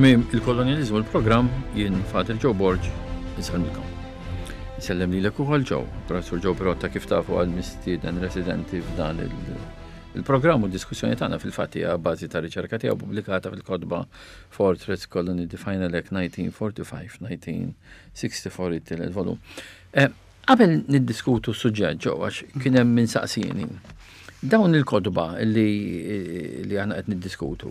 Tmiem il-kolonjaliżmu l-programm jien Father Joe Borg insellmilkom. Insellem lilek ukoll Joe, Professur Joe Pirotta kif tafu għal mistieden residenti f'dan il-programm u diskussjoni tagħna fil-fatt hija bażi ta' riċerka tiegħu pubblikata fil-kotba Fortress Colony The Final Act 1945-1964 it-tielet volum. Eh, qabel niddiskutu s-suġġett ġew għax kien hemm min saqsieni. Dawn il-kotba li li aħna qed niddiskutu,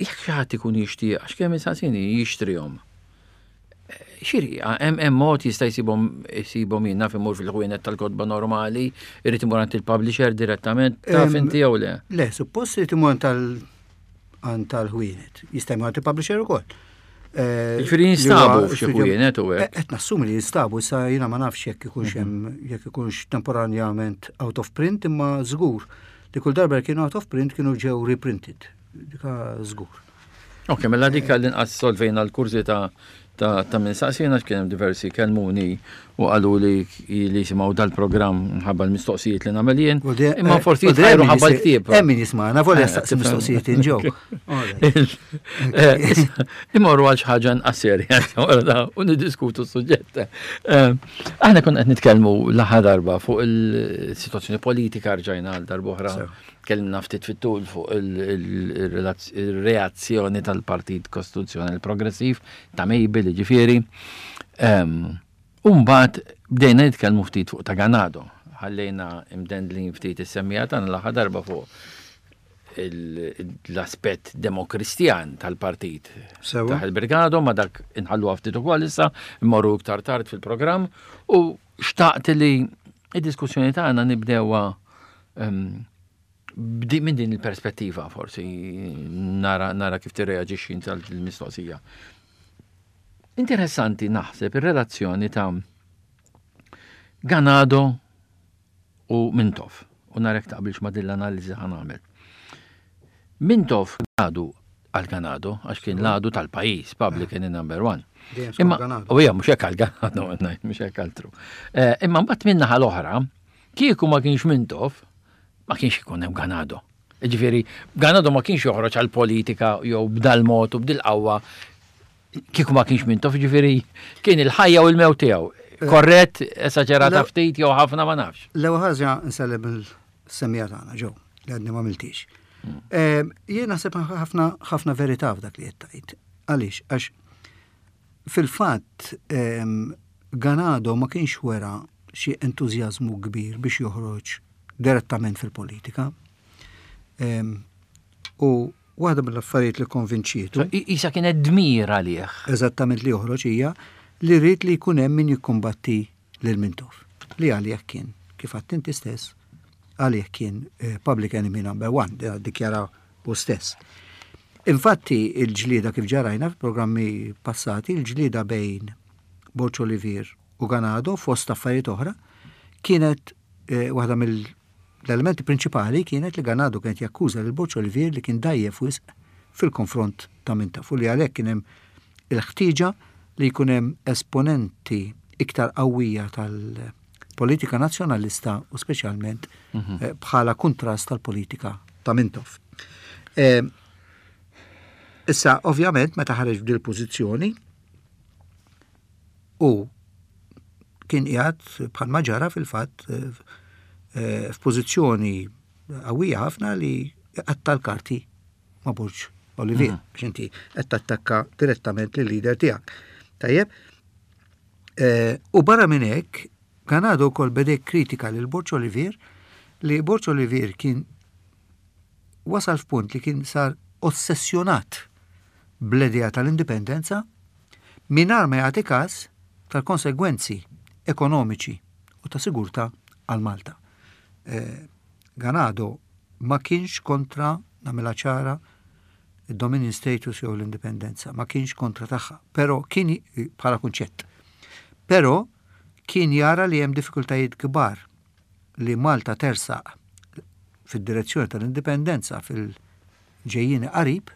jekk xi ħadd ikun jixtieq għax kemm insaqsini jixtrihom. Xiri, hemm hemm mod jista' jsibhom jsibhom jien naf imur fil-ħwienet tal-kotba normali, irid imur għand il-publisher direttament, taf inti jew le? Le, suppost irid imur tal għand tal-ħwienet. Jista' jmur għand il-publisher ukoll. Eh, Ġifieri jinstabu f'xi ħwienet u hekk. Eh, qed nassumi li jinstabu, issa jiena ma nafx jekk ikunx mhm. hemm jekk ikunx temporanjament out of print imma żgur li kull darba kienu out of print kienu ġew reprinted. Dika żgur. Ok, mela dik għall-inqas solvejna l-kurżità ta' ta' min saqsina kien hemm diversi kelmuni u qalu li li jisimgħu dal-programm minħabba l-mistoqsijiet li nagħmel jien. Imma eh, forsi jitħajru ħabba l-ktieb. Hemm min jismagħna, volja eh, staqsi mistoqsijiet inġew. Eh, imorru għal xi ħaġa inqas serja u niddiskutu s-suġġett. Aħna konna qed nitkellmu l-aħħar darba fuq il-sitwazzjoni politika rġajna għal darb'oħra. Tkellimna ftit fit-tul fuq il-reazzjoni tal-Partit Kostituzzjonali Progressiv ta' Mabel, jiġifieri. U mbagħad bdejna nitkellmu ftit fuq ta' Ganado. Ħallejna imdendlin ftit is-semmiegħa tagħna l-aħħar darba fuq l-aspett demokristjan tal-partit ta' il-Brigado, ma dak inħalluha ftit ukoll issa, immorru iktar tard fil-programm u xtaqt li id-diskussjoni tagħna nibdewha minn din il-perspettiva forsi nara, nara kif tirreaġixxi inti għal il-mistoqsija. Interessanti naħseb ir-relazzjoni ta' Ganado u Mintoff. U narek taqbilx ma' din l-analiżi ħa nagħmel. Mintoff għadu għal Ganado, għax kien l-għadu tal-pajis, public enemy number one. Imma, u hija mhux hekk għal Ganado, mhux hekk altru. Eh, imma mbagħad minn naħa l-oħra, kieku ma kienx Mintoff, ma kienx ikun hemm Ganado. Ġifieri, Ganado ma kienx joħroġ għal politika jew b'dal mod u b'dil qawwa kieku ma kienx Mintoff, ġifieri kien il-ħajja u l-mewt tiegħu. Eh, Korrett, esaġerata ftit jew ħafna ma nafx. L-ewwel ħaġa nsellem il-semija tagħna ġew li għadni ma miltix. Hmm. Eh, jien naħseb ħafna ħafna verità f'dak li qed tgħid. Għaliex? Għax fil-fatt ehm, Ganado ma kienx wera xi entużjażmu kbir biex joħroġ direttament fil-politika. Ehm, u waħda mill-affarijiet li konvinċietu. Isa kienet dmir għalih. Eżattament li joħroġ hija li rrid li jkun hemm min jikkumbatti lil Mintoff, li għalih kien, kif għedt inti stess, għalih kien eh, public enemy number one, dikjara hu stess. Infatti il-ġlieda kif ġarajna f'programmi passati, il-ġlieda bejn Borg Olivier u Ganado fost affarijiet oħra kienet eh, waħda mill-elementi prinċipali kienet li Ganado kienet jakkuża lil Borg Olivier li kien dajjef wisq fil-konfront ta' Mintoff u li għalhekk kien hemm il-ħtieġa li jkun hemm esponenti iktar qawwija tal-politika nazzjonalista u speċjalment mhm. eh, bħala kuntrast tal-politika ta' Mintoff. Eh, issa, ovvjament, meta ħareġ b'dil pożizzjoni u kien qiegħed bħalma ġara fil-fatt eh, f'pożizzjoni qawwija ħafna li qatta l-karti ma' Borg Olivier, mhm. biex inti qed tattakka direttament lil leader tiegħek. Tajjeb? Eh, u barra minn hekk, Ganado wkoll beda kritika lil Borg Olivier li Borg Olivier kien wasal f'punt li kien sar ossessjonat bl-idea tal-indipendenza mingħajr ma jagħti każ tal-konsegwenzi ekonomiċi u ta' sigurtà għal Malta. Eh, Ganado ma kienx kontra, nagħmilha ċara, id-dominion status jew l-indipendenza, ma kienx kontra tagħha, però kien bħala kunċett. Però kien jara li hemm diffikultajiet kbar li Malta tersaq fid-direzzjoni tal-indipendenza fil-ġejjieni qarib,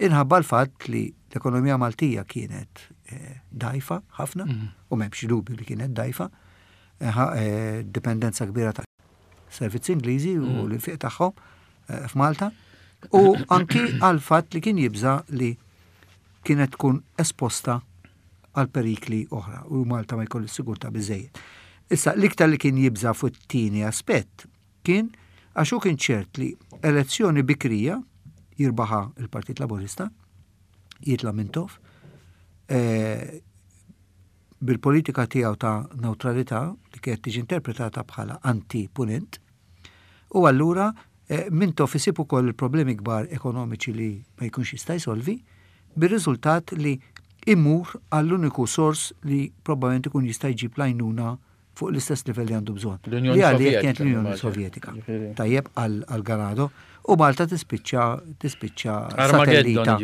inħabba l-fatt li l-ekonomija Maltija kienet eh, dajfa ħafna, mm. u m'hemmx dubju li kienet dajfa, eh, eh, dipendenza kbira ta' servizzi Ingliżi u mm. l-infiq tagħhom eh, f'Malta u anki għal fatt li kien jibża li kienet tkun esposta għal perikli oħra u Malta ma jkollhiex sigurtà biżejjed. Issa l-iktar li kien jibża' fuq it-tieni aspett kien għax hu kien ċert li elezzjoni bikrija jirbaħha il-Partit Laburista, jitla' Mintoff, eh, bil-politika tiegħu ta' newtralità li kienet tiġi interpretata bħala anti-punent, u allura eh, Mintoff isib ukoll il-problemi kbar ekonomiċi li ma jkunx jista' jsolvi, bir-riżultat li imur għall-uniku sors li probabbilment ikun jista' jġib l-għajnuna fuq l-istess livell li għandu bżonn. L-Unjoni Sovjetika. Kienet l-Unjoni Sovjetika. Tajjeb għal Ganado. U Malta tispiċċa tispiċċa satellita,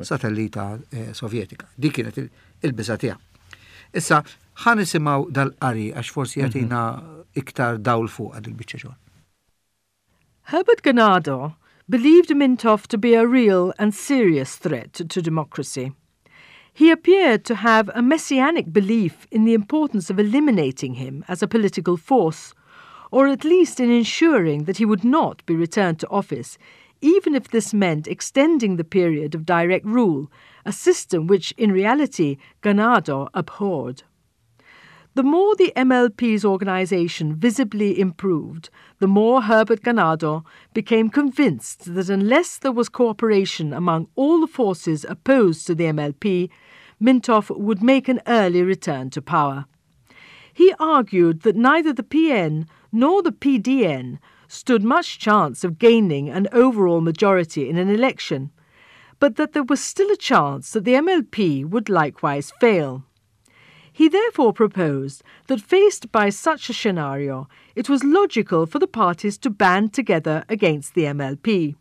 satellita eh, sovjetika. Dik kienet il-biża tiegħu. Issa, ħa nisimgħu dal-qari għax forsi mhm. jagħtina iktar dawl fuq għad il-biċċa xogħol. Herbert Ganado believed Mintoff to be a real and serious threat to democracy. He appeared to have a messianic belief in the importance of eliminating him as a political force, or at least in ensuring that he would not be returned to office, even if this meant extending the period of direct rule, a system which in reality Ganado abhorred. The more the MLP's organization visibly improved, the more Herbert Ganado became convinced that unless there was cooperation among all the forces opposed to the MLP, Mintoff would make an early return to power. He argued that neither the PN nor the PDN stood much chance of gaining an overall majority in an election, but that there was still a chance that the MLP would likewise fail. He therefore proposed that faced by such a scenario, it was logical for the parties to band together against the MLP.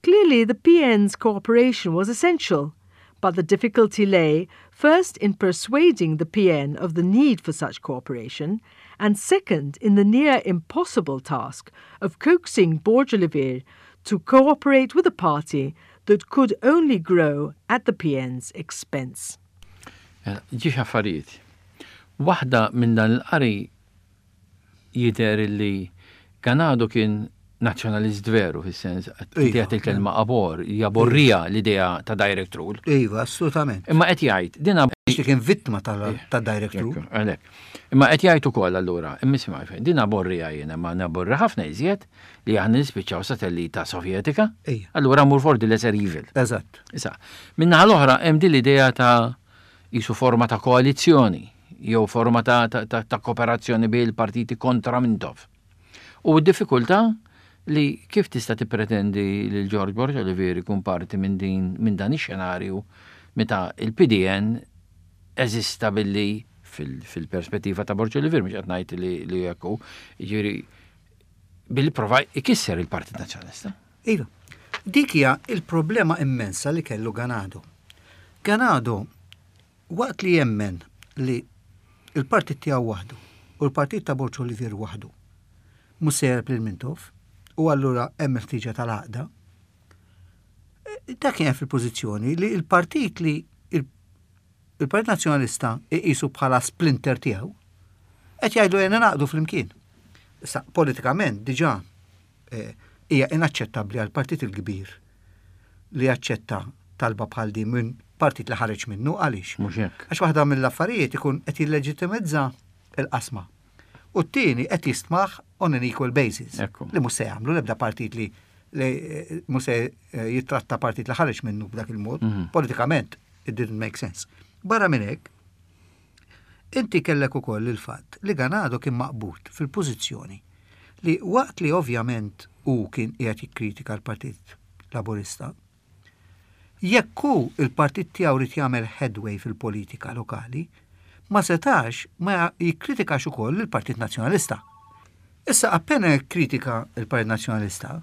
Clearly, the PN's cooperation was essential, but the difficulty lay first in persuading the PN of the need for such cooperation, and second in the near impossible task of coaxing Borg Olivier to cooperate with a party that could only grow at the PN's expense. Mela, ġiex affarijiet. Waħda minn dan il-qari jidher li Ganado kien nazzjonalist veru fis-sens qed jagħti il-kelma abor, jaborrija l-idea ta' direct rule. Iva, assolutament. Imma qed jgħid din li kien vittma ta' direct rule. Għalhekk. Imma qed jgħid ukoll allura, imma fejn, din aborrija jiena ma naborri ħafna iżjed li aħna nispiċċaw satellita sovjetika. Allura mur for the lesser evil. Eżatt. Issa, min-naħa l-oħra hemm din l-idea ta' qisu forma ta' koalizzjoni jew forma ta', ta, ta, ta kooperazzjoni bejn il-partiti kontra Mintoff. U d-diffikultà li kif tista' tippretendi li George Borg Olivier ikun parti minn din minn dan ix-xenarju meta il-PDN eżista billi fil-perspettiva ta' Borg Olivier mhux qed ngħid li li hekk hu, jiġifieri billi prova jkisser il-Partit Nazzjonalista. Iva. Dik hija il-problema immensa li kellu Ganado. Ganado, waqt li jemmen li il-partit tiegħu waħdu u l-partit ta' Borg Olivier waħdu mhux se jegħleb lil Mintoff u allura hemm il-ħtieġa tal-għaqda, dak kien fil-pożizzjoni li l-partit li il-Partit Nazzjonalista iqisu bħala splinter tiegħu qed jgħidu ejja ningħaqdu flimkien. Issa politikament diġà eh, hija inaċċettabbli għal partit il-kbir li jaċċetta talba bħal din minn partit li ħareġ minnu għaliex. Mhux hekk. Għax waħda mill-affarijiet ikun qed jilleġittimizza il-qasma. U t-tieni qed jistmaħ on an equal basis. Ekku. Li mhux se jagħmlu l-ebda partit li li eh, mhux se eh, jittratta partit li ħareġ minnu b'dak il-mod. Politikament, it didn't make sense. Barra minn hekk, inti kellek ukoll il-fatt li Ganado kien maqbud fil-pożizzjoni li waqt li ovvjament hu kien qiegħed jikkritika l-Partit Laburista, jekk hu il-partit tiegħu rid jagħmel headway fil-politika lokali, ma setax ma jikkritikax ukoll il-Partit Nazzjonalista. Issa appena jikkritika il-Partit Nazzjonalista,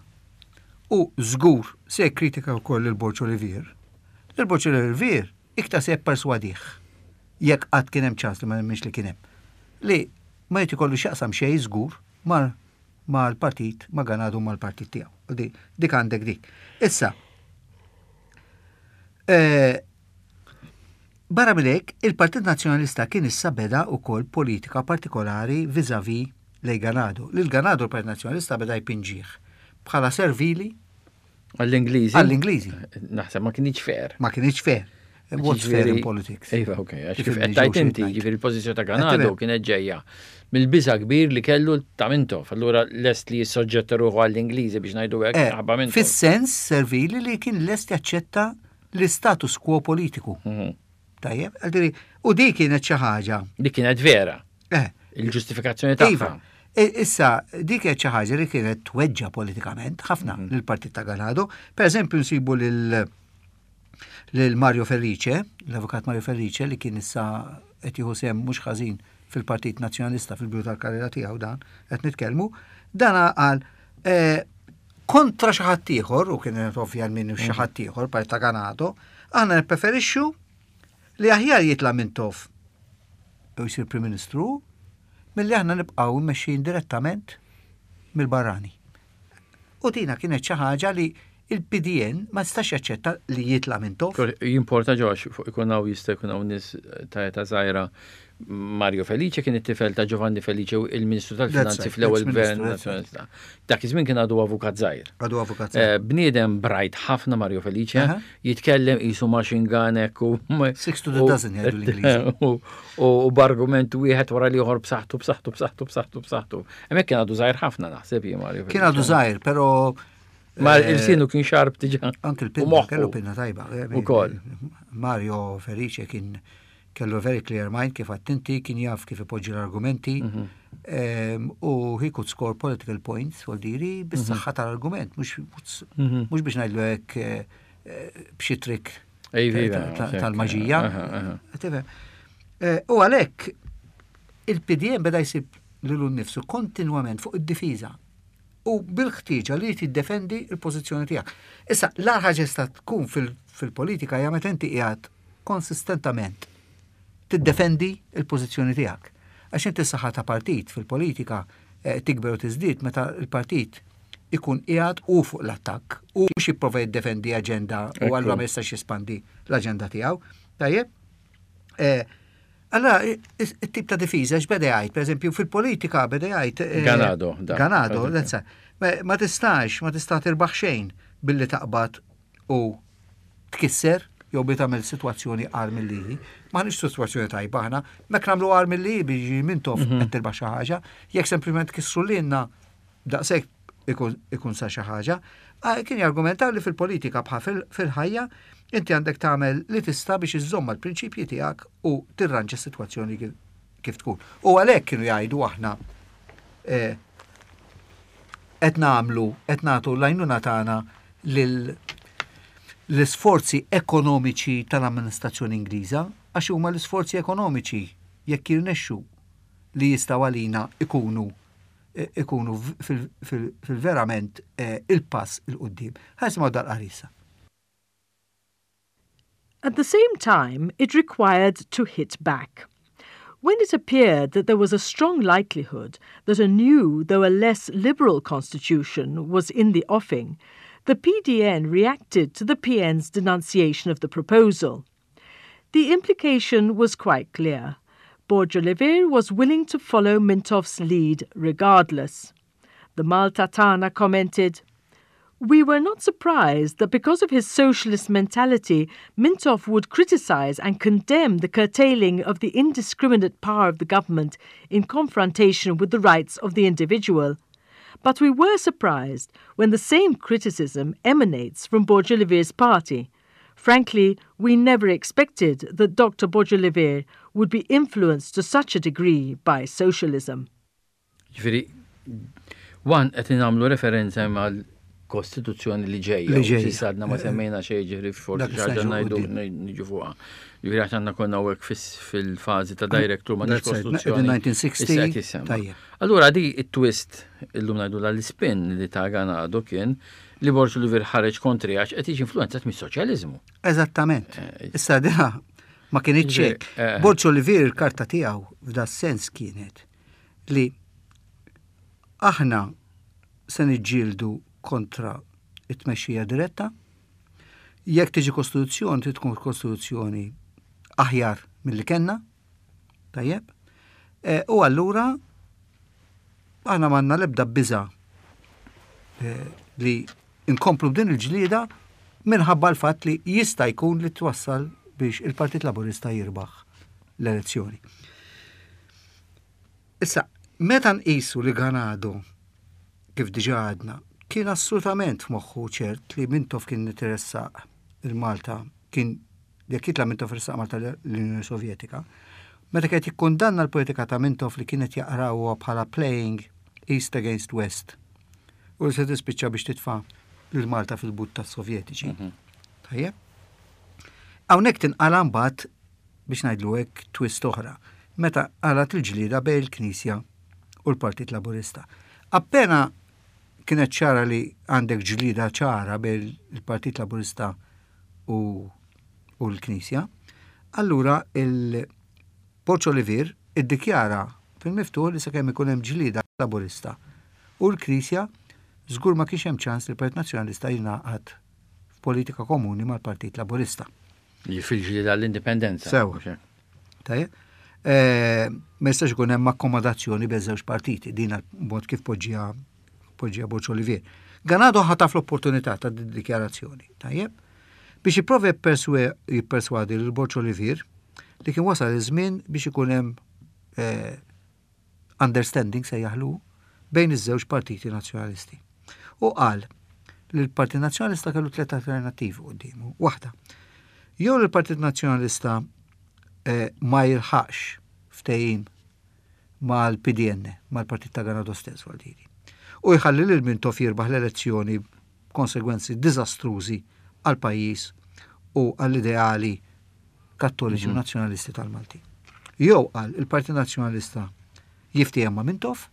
u żgur se jikkritika wkoll il-Borg Olivier, il-Borg Olivier iktar se jipperswadih jekk qatt kien hemm ċans li ma nemminx li kien hemm. Li ma jrid ikollu x'jaqsam xejn żgur ma' mal-partit, ma' Ganado mal-partit tiegħu. Dik għandek dik. Issa, eh, barra minn hekk, il-Partit Nazzjonalista kien issa beda wkoll politika partikolari vis-à-vis lejn Ganado. Lil Ganado l-Partit Nazzjonalista beda jpinġih bħala servili. Għall-Ingliżi? Għall-Ingliżi. Naħseb ma kienx fair. Ma kienx fair. What's fair in politics? Iva, ok, għax kif qed tajt inti, ġifieri l-pożizzjoni ta' Ganado kienet ġejja mill-biża kbir li kellu ta' Mintoff, allura lest li jissoġġetta ruħu għall-Ingliżi biex ngħidu hekk eh, ħabba Mintoff. Fis-sens servili li kien lest jaċċetta l-istatus quo politiku. Mhm. Tajjeb, u di kienet xi ħaġa. Di kienet vera. Eh. Il-ġustifikazzjoni tagħha. Iva. E, issa, dik kienet xi ħaġa li kienet tweġġa politikament ħafna mhm. lill-Partit ta' Ganado. Per eżempju nsibu lil lil Mario Felice, l-avukat Mario Felice li kien issa qed jieħu sehem mhux ħażin fil-Partit Nazzjonalista fil-bidu tal-karriera tiegħu dan qed nitkellmu, dan qal eh, kontra xi ħadd ieħor, u kienet ovvja min xi mhm. ħadd ieħor parti ta' Ganado, aħna nippreferixxu li aħjar jitla' Mintoff u jsir Prim Ministru milli aħna nibqgħu mmexxin direttament mill-barrani. U dina kienet xi ħaġa li il-PDN ma tistax jaċċetta li jitla' Mintoff. Jimporta ġox fuq ikun hawn jista' jkun hawn nies ta' età żgħira Mario Felice kien it-tifel ta' Giovanni Felice, il-Ministru tal-Finanzi fl-ewwel Gvern Nazzjonalista. Dak iż-żmien kien għadu avukat żgħir. Għadu avukat żgħir. Eh, bniedem brajt ħafna Mario Felice, jitkellem qisu machine gun hekk u Six to the dozen jgħidu l-Ingliżi. U b'argument wieħed wara l-ieħor b'saħħtu b'saħħtu b'saħħtu b'saħħtu b'saħħtu. Hemmhekk kien għadu żgħir ħafna naħseb jien Mario. Kien għadu żgħir, però Ma eh, il-sinu kien xarb diġà. Anke l-pinna, kellu pinna tajba. Eh, Ukoll. Mario Felice kien Kellu very clear mind kif għedt inti, kien jaf kif ipoġġi l-argumenti mhm. ehm, u he could score political points, vuol diri, bis-saħħa mhm. tal-argument, mhux mhm. biex ngħidlu hekk eh, eh, b'xi trick tal-maġija. Eh, u għalhekk il-PDM beda jsib lilu nnifsu kontinwament fuq id-difiża u bil-ħtieġa li tiddefendi l-pożizzjoni tiegħek. Issa, l-agħar ħaġa tista' tkun fil-politika hija meta inti qiegħed konsistentament tiddefendi l-pożizzjoni tiegħek. Għax inti s-saħħa ta' partit fil-politika eh, tikber u tiżdied meta l-partit ikun qiegħed u fuq l-attakk u mhux jipprova jiddefendi aġenda u allura ma jistax jispandi l-aġenda tiegħu. Tajjeb? Eh, allora, it-tip ta' difiża x'beda jgħid, pereżempju fil-politika beda jgħid. Eh, Ganado. Ganado, ma tistax, ma tista' tirbaħ xejn billi taqbad u tkisser jew bi tagħmel sitwazzjoni agħar milli hi. M'aħniex sitwazzjoni tajba aħna, mek nagħmlu agħar milli hi biex Mintoff mhm. qed tirbaħ xi ħaġa, jekk sempliment kissru lilna daqshekk ikun sa xi ħaġa. Ah, kien jargumenta li fil-politika bħal fil-ħajja inti għandek tagħmel li tista' biex iżżomm mal-prinċipji tiegħek u tirranġa s-sitwazzjoni kif tkun. U għalhekk kienu jgħidu aħna eh, qed nagħmlu, qed nagħtu l-għajnuna tagħna lil l-isforzi ekonomiċi tal-amministrazzjoni Ingliża, għax huma l-isforzi ekonomiċi jekk jirnexxu li jistgħu għalina ikunu ikunu fil-verament eh, il-pass 'il quddiem. Ħa nisimgħu dal-qari issa. At the same time, it required to hit back. When it appeared that there was a strong likelihood that a new, though a less liberal constitution was in the offing, the PDN reacted to the PN's denunciation of the proposal. The implication was quite clear. Borg Olivier was willing to follow Mintoff's lead regardless. The Malta Tana commented, We were not surprised that because of his socialist mentality, Mintoff would criticize and condemn the curtailing of the indiscriminate power of the government in confrontation with the rights of the individual. But we were surprised when the same criticism emanates from Borg Olivier's party. Frankly, we never expected that Dr. Borg Olivier would be influenced to such a degree by socialism. Ġifieri, one qed nagħmlu referenza mal kostituzzjoni li ġejja. Li ġejja. S'issa għadna ma semmejna xejn ġifieri forsi Dak xi ħaġa issa ngħidu ġew niġu fuqha. Ġifieri għax għandna konna hawnhekk fil-fażi ta' director ma That's right. kostituzzjoni. 1960, Issa qed jissemma. tajjeb. Allura di it-twist illum ngħidu l-spin li ta' Ganado kien li Borg Olivier ħareġ kontri għax qed jiġi influenzat mis-soċjaliżmu. Eżattament. Eh, Issa dina ma kienitx hekk. Eh. Borg Olivier il-karta tiegħu f'da sens kienet li aħna se niġġieldu kontra it-tmexxija diretta. Jekk tiġi kostituzzjoni, trid tkun kostituzzjoni aħjar milli kellna. Tajjeb. E, u allura aħna m'għandna l-ebda biża e, li Inkomplu b'din il-ġlieda minħabba l-fatt li jista' jkun li twassal biex il-Partit Laburista jirbaħ l-elezzjoni. Issa, meta nqisu li Ganado, kif diġà għadna, kien assolutament f'moħħu ċert li Mintoff kien interessaq il-Malta, kien jekk jitla' Mintoff ressaq Malta l-Unjoni Sovjetika, meta kienet jikkundanna l-politika ta' Mintoff li kienet jaqrawha bħala playing East against West u li se tispiċċa biex titfa' lil Malta fil-but tas-Sovjetiċi. Mhm. Tajjeb? Hawnhekk tinqala mbagħad biex ngħidlu hekk twist oħra, meta qalat il-ġlieda bejn il-Knisja u l-Partit Laburista. Appena kienet ċara li għandek ġlieda ċara bejn il-Partit Laburista u, u l-Knisja, allura il-Borġ Olivier iddikjara fil-miftuħ li sakemm ikun hemm ġlieda Laburista u l-Knisja żgur ma kienx hemm ċans li l-Partit Nazzjonalista jingħaqad f'politika komuni mal-Partit Laburista. Fil-ġlieda l-indipendenza. Sewa. Tajjeb. Eh, ma jistax ikun hemm akkomodazzjoni bejn żewġ partiti, din mod kif poġġija poġġija Borġ Olivier. Ganado ħataf l-opportunità ta' dikjarazzjoni, tajjeb, biex jipprova jipperswadi lil Borġ Olivier li kien wasal iż-żmien biex ikun hemm eh, understanding sejjaħlu bejn iż-żewġ partiti nazzjonalisti. U qal li l-Partit Nazzjonalista kellu tliet alternattivi quddiemu. Waħda, jew l-Partit Nazzjonalista eh, ma jilħaqx ftehim mal-PDN, mal-Partit ta' Ganado stess Valdiri. U jħalli lil Mintoff jirbaħ l-elezzjoni b'konsegwenzi diżastrużi għall-pajjiż u għall-ideali kattoliċi u mhm. nazzjonalisti tal-Malti. Jew qal il-Partit Nazzjonalista jiftiehem ma' Mintoff,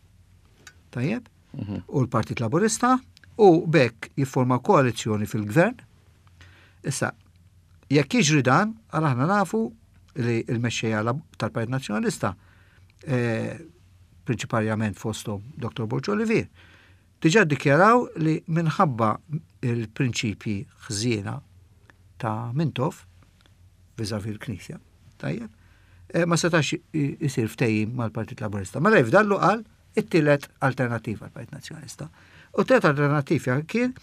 tajjeb, mhm. u l-Partit Laburista, u bekk jifforma koalizzjoni fil-gvern. Issa, jekk jiġri dan, għal aħna nafu li l-mexxejja tal-Partit Nazzjonalista, eh, prinċiparjament fosthom Dr. Borġ Olivier, diġà ddikjaraw li minħabba il-prinċipji ħżiena ta' Mintoff vis-à-vis l-Knisja, tajjeb, eh, ma setax isir ftehim mal-Partit Laburista. Mela jifdallu qal it-tielet alternattiva għall-Partit Nazzjonalista. U t-tielet alternattiva kien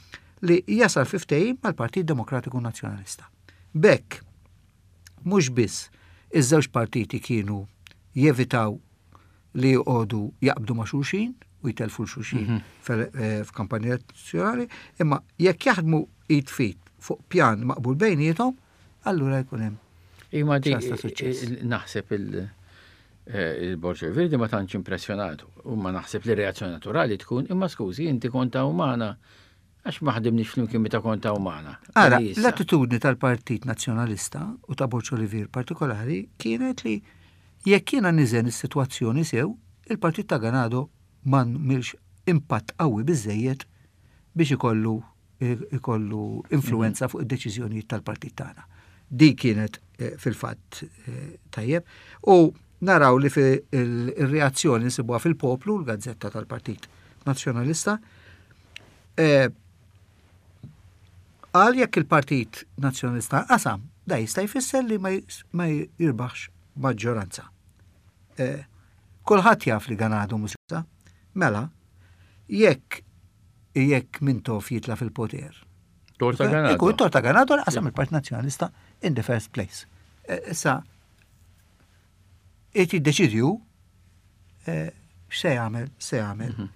li jasal fi ftehim mal-Partit Demokratiku Nazzjonalista. Bekk, mhux biss iż-żewġ partiti kienu jevitaw li joqogħdu jaqbdu ma' xulxin u jtelfu l-xulxin mhm. eh, f'kampanja elezzjonali, imma jekk jaħdmu id fit fuq pjan maqbul bejniethom, allura jkun hemm. Imma di naħseb il- eh, il-Borġ Verdi ma tantx impressjonatu. U ma naħseb li reazzjoni naturali tkun imma skużi inti konta umana Għax ma ħdimniex flimkien meta kont hawn magħna. Ara, l-attitudni tal-Partit Nazzjonalista u ta' Borg Olivier partikolari kienet li jekk jiena niżen is-sitwazzjoni sew, il-Partit ta' Ganado ma għamilx impatt qawwi biżżejjed biex ikollu ikollu influwenza fuq id-deċiżjonijiet tal-partit tagħna. Di kienet eh, fil-fatt eh, tajjeb. U naraw li fil-reazzjoni nsibuha fil-poplu, l-gazzetta tal-Partit Nazzjonalista, Eh, qal jekk il-Partit Nazzjonalista qasam, da jista' jfisser li ma jirbaħx maġġoranza. Eh, kulħadd jaf li dan għadu musa. Mela, jekk jekk Mintoff jitla fil-poter. Torta Ganado. Ikun torta Ganado li qasam il-Partit Nazzjonalista in the first place. Eh, issa, Irid jiddeċidi hu eh, x'se jagħmel, se jagħmel mhm.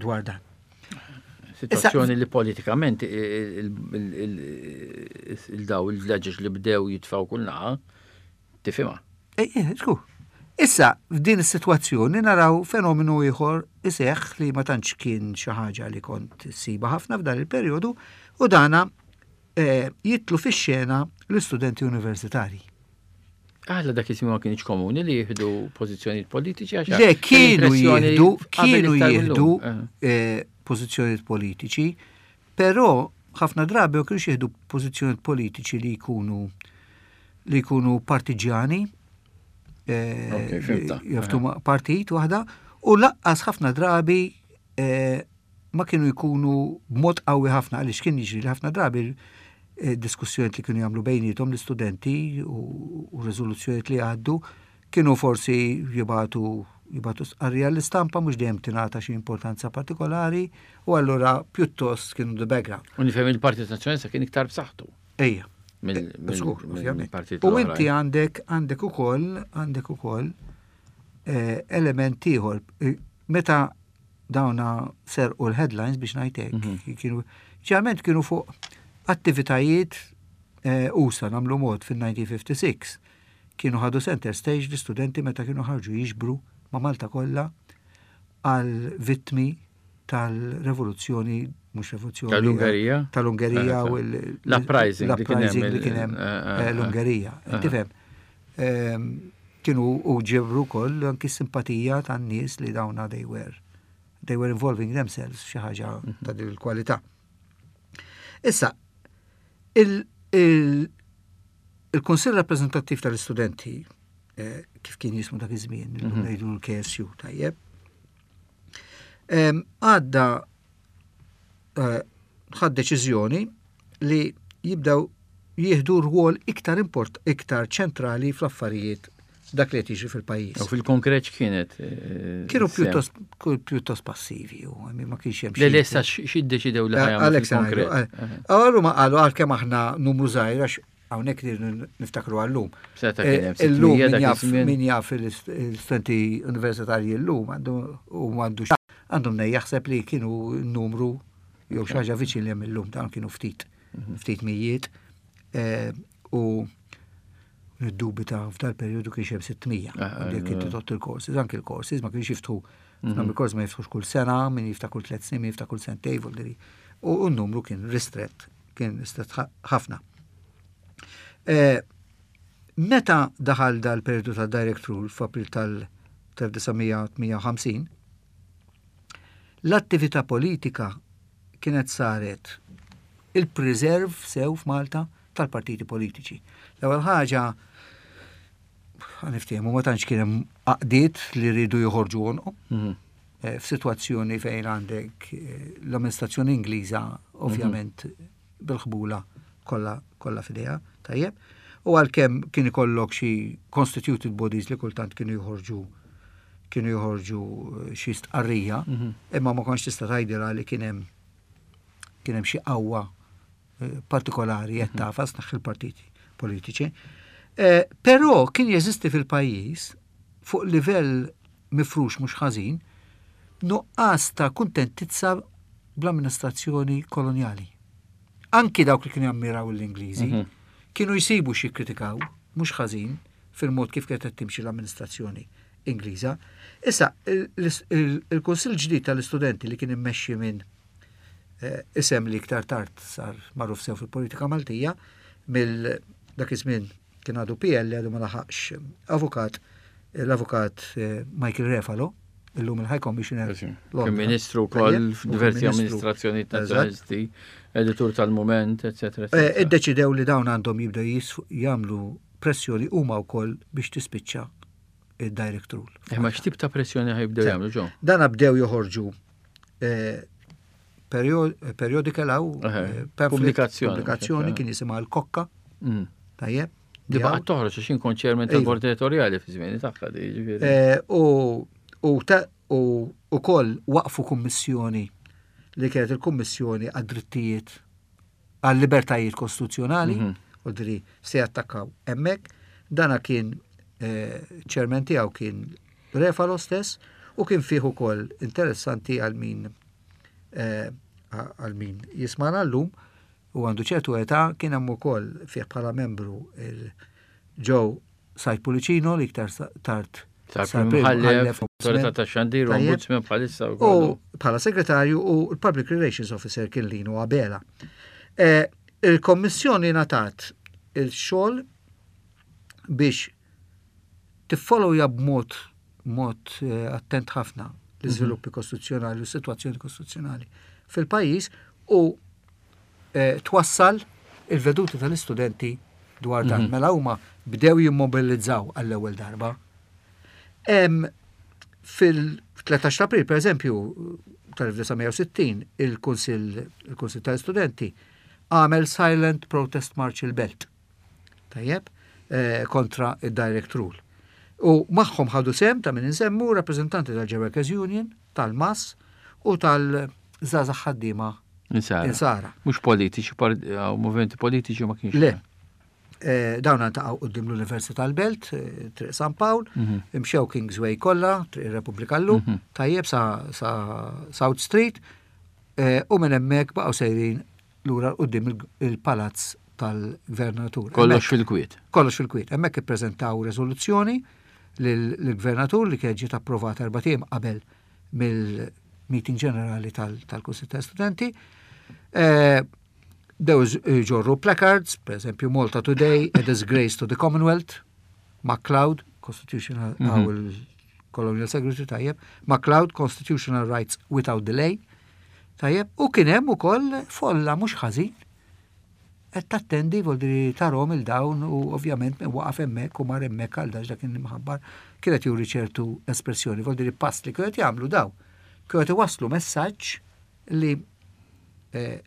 dwar dan. Situazzjoni li politikament il-daw il-vleġeġ li bdew jitfaw kull naħa, tifhimha. Eh, eh, żgur. Issa, f'din is-sitwazzjoni naraw fenomenu ieħor iseħħ li ma tantx kien xi ħaġa li kont siba ħafna f'dan il-perjodu u dana eh, jitlu fix-xena l-istudenti universitarji. Għala dak iż-żmien ma kienx komuni li jieħdu pożizzjonijiet politiċi għax Le kienu jieħdu kienu jieħdu eh. Eh, pożizzjonijiet politiċi, però ħafna drabi ma kienux jieħdu pożizzjonijiet politiċi li jkunu li jkunu partiġjani eh, jaftu partit waħda u laqqas ħafna drabi ma kienu jkunu b'mod qawwi ħafna għaliex kien jiġri li ħafna drabi eh, diskussjonijiet li kienu jagħmlu bejniethom l-istudenti u riżoluzzjonijiet li għaddu kienu forsi jibatu Jibagħtu stqarrija l-istampa mhux dejjem tingħata xi importanza partikolari u allura pjuttost kienu the background. U nifhem il-Partit Nazzjonalista kien iktar b'saħħtu. Ejja. Mill-partit. U inti għandek għandek ukoll għandek ukoll eh, element ieħor. Eh, meta dawna serqu l-headlines biex ngħidlek, mhm. kienu ġeneralment kienu fuq attivitajiet eh, usa nagħmlu mod fil-1956 kienu ħadu center stage l-istudenti meta kienu ħarġu jiġbru ma' Malta kollha għal vittmi tal-revoluzzjoni mhux revoluzzjoni. Tal-Ungerija? Tal-Ungerija u l-uprising li kien hemm eh, l-Ungerija. Tifhem, ehm, kienu u ġebru wkoll anki simpatija tan-nies li dawna they were they were involving themselves xi ħaġa mhm. ta' din il-kwalità. Issa, il-Kunsill Rappreżentattiv tal-Istudenti, eh, kif kien jismu dak iż-żmien, illum mhm. ngħidu l-KSU tajjeb, għadda eh, ħad deċiżjoni li jibdew jieħdu rwol iktar import, iktar ċentrali fl-affarijiet dak li qed jiġri fil-pajjiż. U fil-konkret x'kienet? Eh, Kienu pjuttost pjuttost passivi u ma kienx hemm. Le lesta x'iddeċidew li ħajja Alex konkret. Għallu ma qalu għalkemm aħna numru żgħir għax hawnhekk niftakru għallum. Eh, illum min jaf l-istudenti universitarji llum għandu u għandu għandhom nej jaħseb li kienu numru jew xi ħaġa viċin li hemm illum dawn kienu ftit mhm. ftit mijiet eh, u niddubita f'dal periodu kien hemm 600. Ah, ah, Jekk inti tot il-courses, anki il-courses ma kienx jiftħu mhm. il-course ma jiftħux kull sena, min jiftaħ kull tliet snin, min jiftaħ kull sentej, u n-numru kien ristret, kien ristret ħafna. Eh, meta daħal dal-periodu ta' direct rule f'April tal-1958, l-attività politika kienet saret il-preserve sew f'Malta tal-partiti politiċi. L-ewwel ħaġa niftehmu ma tantx kien hemm għaqdiet li rridu joħorġu għonqhom. Mhm. Eh, f'sitwazzjoni fejn għandek eh, l-amministrazzjoni Ingliża ovvjament mhm. bil-ħbula kollha kollha f'idejha, tajjeb. U għalkemm kien ikollok xi constituted bodies li kultant kienu joħorġu kienu joħorġu eh, xi stqarrija, mhm. imma ma kontx tista' tgħidilha li kien hemm kien hemm xi qawwa eh, partikolari qed mhm. tafas naħ il-partiti politiċi. Eh, però kien jeżisti fil-pajjiż fuq livell mifrux mhux ħażin nuqqas ta' kuntentizza bl-amministrazzjoni kolonjali. Anki dawk li kienu jammiraw l-Ingliżi mhm. kienu jsibu xi jikkritikaw mhux ħażin fil-mod kif kienet qed timxi l-amministrazzjoni Ingliża. Issa, il-Kunsill ġdid tal-Istudenti li kien immexxi minn eh, isem li iktar tard sar magħruf sew fil-politika Maltija, mill dak iż-żmien kien għadu PL għadu ma laħaqx avukat, l-avukat eh, Michael Refalo, illum il-High Commissioner. Kien ministru wkoll f'diversi amministrazzjoni nazzjonalisti, editur tal-Mument, eccetera. Eh, iddeċidew li dawn għandhom jibdew jagħmlu pressjoni huma wkoll biex tispiċċa il-direct rule. Imma eh, x'tip ta' pressjoni ħajbdew jagħmlu ġo? Dan bdew joħorġu periodical għaw pubblikazzjoni. Pubblikazzjoni kien jisimha l-Kokka. Mm. Tajjeb. Di baqgħet toħroġ għax inkun chairman tal-bord editorjali fi żmieni tagħha di ġifieri. Eh, u u ukoll waqfu kummissjoni li kienet il-Kummissjoni għad-drittijiet għal-libertajiet kostituzzjonali, mhm. u dri se jattakkaw hemmhekk. Dana kien eh, chairman tiegħu kien Refalo stess u kien fih ukoll interessanti għal min eh, għal min jismana llum u għandu ċertu età kien hemm ukoll fih bħala membru il-Joe Said Pulicino li iktar tard sar Imħallef, Autorità ta' Xandir, Ombudsman bħalissa U bħala segretarju u l-Public Relations Officer kien Lino Abela. Eh, il-Kommissjoni natat il-xogħol biex tiffollowja b'mod mod eh, attent ħafna l-iżviluppi mhm. kostituzzjonali u s-sitwazzjoni kostituzzjonali fil-pajjiż u eh, twassal il-veduti tal-istudenti dwar dan. Mhm. Mela huma bdew jimmobilizzaw għall-ewwel darba. Fil-13 April, per eżempju, tal-1960, il-Kunsill il tal-Istudenti għamel Silent Protest March il-Belt. Tajjeb, eh, kontra id-Direct Rule. U magħhom ħadu sehem ta' min insemmu rappreżentanti tal-Workers Union, tal-MAS u tal-Żgħażagħ Ħaddiema Insara. Mhux politiċi, movimenti politiċi ma kienx. Le. Eh, dawn għantaqgħu quddiem l-Università tal-Belt, eh, Triq San Pawl, mhm. imxew Kingsway kollha, Triq ir-Repubblika llum, mhm. tajjeb sa South Street, eh, u minn hemmhekk baqgħu sejrin lura quddiem il-palazz tal-gvernatur. Kollox fil-kwiet. Kollox fil-kwiet. Hemmhekk ippreżentaw riżoluzzjoni lill-gvernatur li kienet ġiet approvata erbat ijiem qabel mill-meeting ġenerali tal-Kunsill tal-Studenti. Eh, Dew ġorru placards, per eżempju Malta Today, a disgrace to the Commonwealth, MacLeod, Constitutional mm -hmm. Colonial Secretary tajjeb, MacLeod, Constitutional Rights Without Delay, tajjeb, u kien hemm ukoll folla mhux ħażin qed tattendi voldiri tarhom il dawn u ovvjament min waqaf hemmhekk u mar hemmhekk għal dax dak imħabbar kienet juri ċertu espressjoni, voldiri pass li kienet jagħmlu daw. Kienet iwasslu messaġġ li eh,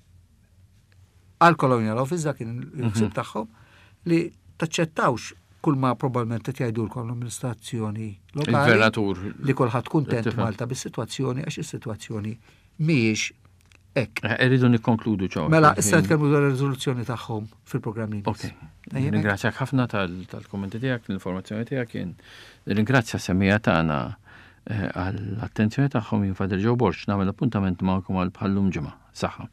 għal Colonial Office dak kien il-ħsieb mhm. tagħhom li taċċettawx kull ma probabbilment qed jgħidulkom l-amministrazzjoni lokali. Il-gvernatur. Li kulħadd kuntent Malta bis-sitwazzjoni għax is-sitwazzjoni mhijiex hekk. Eh, irridu nikkonkludu ċaw. Mela, issa nitkellmu dwar ir-riżoluzzjoni tagħhom fil-programm li Ok. Ringrazzjak ħafna tal-kummenti tiegħek, l-informazzjoni tiegħek kien. Ringrazzja semmija tagħna eh, għall-attenzjoni tagħhom jien Father Joe Borg nagħmel appuntament magħkom għal bħallum ġimgħa. Saħħa.